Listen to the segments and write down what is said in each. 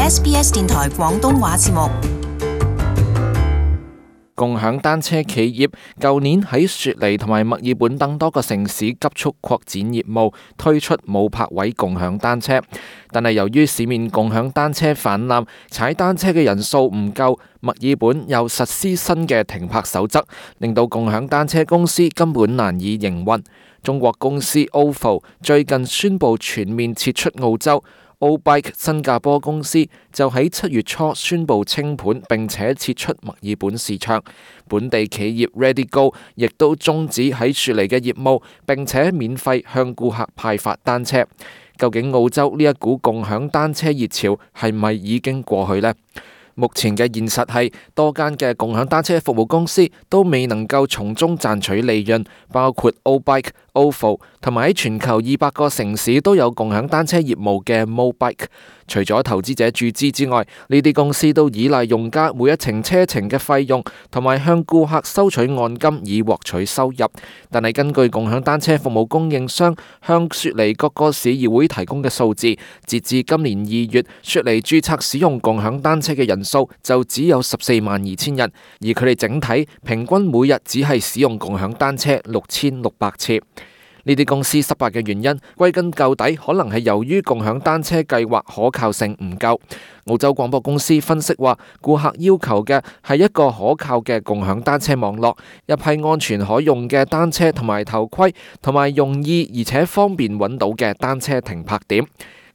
SBS 電台廣東話節目。共享單車企業舊年喺雪梨同埋墨爾本等多個城市急速擴展業務，推出冇泊位共享單車。但係由於市面共享單車泛濫，踩單車嘅人數唔夠，墨爾本又實施新嘅停泊守則，令到共享單車公司根本難以營運。中國公司 OFO 最近宣布全面撤出澳洲。O-Bike 新加坡公司就喺7月初宣布清盤，並且撤出墨爾本市場。本地企業 ReadyGo 亦都終止喺雪梨嘅業務，並且免費向顧客派發單車。究竟澳洲呢一股共享單車熱潮係咪已經過去呢？目前嘅現實係多間嘅共享單車服務公司都未能夠從中賺取利潤，包括 O-Bike、OFO 同埋喺全球200個城市都有共享單車業務嘅 MoBike。除咗投資者注資之外，呢啲公司都依賴用家每一程車程嘅費用，同埋向顧客收取按金以獲取收入。但係根據共享單車服務供應商向雪梨各個市議會提供嘅數字，截至今年2月，雪梨註冊使用共享單車嘅人數就只有142000人，而佢哋整體平均每日只係使用共享單車6600次。呢啲公司失敗嘅原因，歸根究底可能係由於共享單車計劃可靠性唔夠。澳洲廣播公司分析話，顧客要求嘅係一個可靠嘅共享單車網絡，一批安全可用嘅單車同埋頭盔，同埋容易而且方便揾到嘅單車停泊點。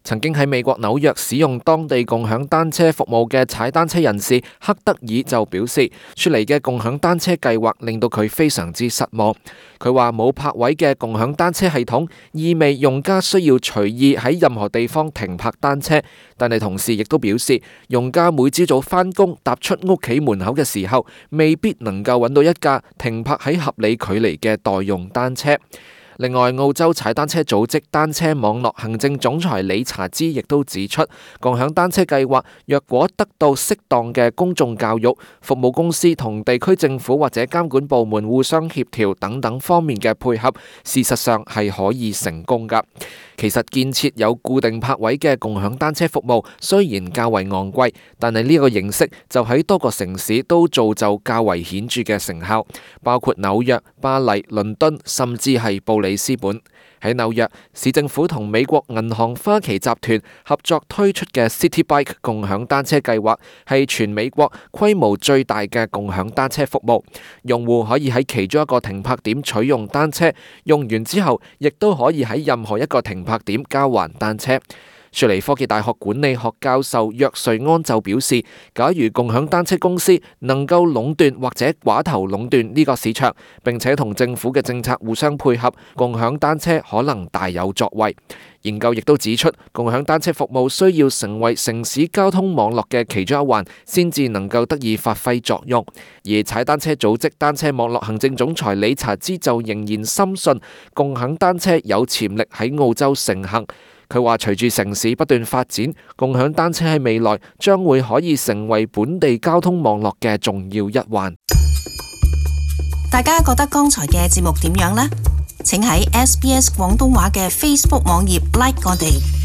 曾經喺美國紐約使用當地共享單車服務嘅踩單車人士克德爾就表示，雪梨嘅共享單車計劃令到佢非常之失望。佢話冇泊位嘅共享單車系統意味用家需要隨意喺任何地方停泊單車，但係同時亦都表示，用家每朝早返工踏出屋企門口嘅時候，未必能夠揾到一架停泊喺合理距離嘅代用單車。另外，澳洲踩單車組織單車網絡行政總裁理查茲亦都指出，共享單車計劃若果得到適當嘅公眾教育、服務公司同地區政府或者監管部門互相協調等等方面嘅配合，事實上係可以成功㗎。其實建設有固定泊位嘅共享單車服務雖然較為昂貴，但係呢個形式就喺多個城市都造就較為顯著嘅成效，包括紐約、巴黎、倫敦，甚至係布里斯本。喺紐約，市政府同美國銀行花旗集團合作推出嘅 City Bike 共享單車計劃係全美國規模最大嘅共享單車服務。用戶可以喺其中一個停泊點取用單車，用完之後亦都可以喺任何一個停泊點交還單車。雪梨科技大學管理學教授約瑞安就表示，假如共享單車公司能夠壟斷或者寡頭壟斷呢個市場，並且同政府嘅政策互相配合，共享單車可能大有作為。研究亦都指出，共享單車服務需要成為城市交通網絡嘅其中一環，先至能夠得以發揮作用。而踩單車組織單車網絡行政總裁理查茲就仍然深信，共享單車有潛力喺澳洲盛行。佢話隨住城市不斷發展，共享單車喺未來將會可以成為本地交通網絡嘅重要一環。大家覺得剛才嘅節目點樣呢？請喺 SBS 廣東話嘅 Facebook 網頁 like 我哋。